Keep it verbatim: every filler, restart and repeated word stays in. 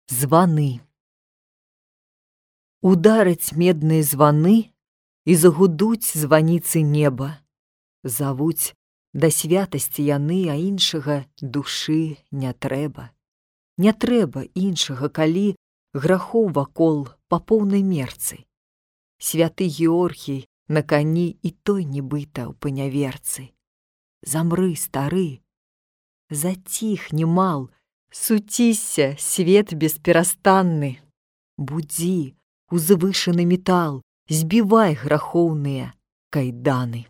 Званы. Удараць медныя званы, і загудуць званіцы неба. Завуць да святасці яны, а іншага душы не трэба. Не трэба іншага, калі грахоў вакол па поўнай мерцы. Святы Георгій на кані і той нібыта ў паняверцы. Замры, стары, заціхні, мал, суцісся, свет бесперастанны. Будзі, узвышаны метал, збівай грахоўныя кайданы.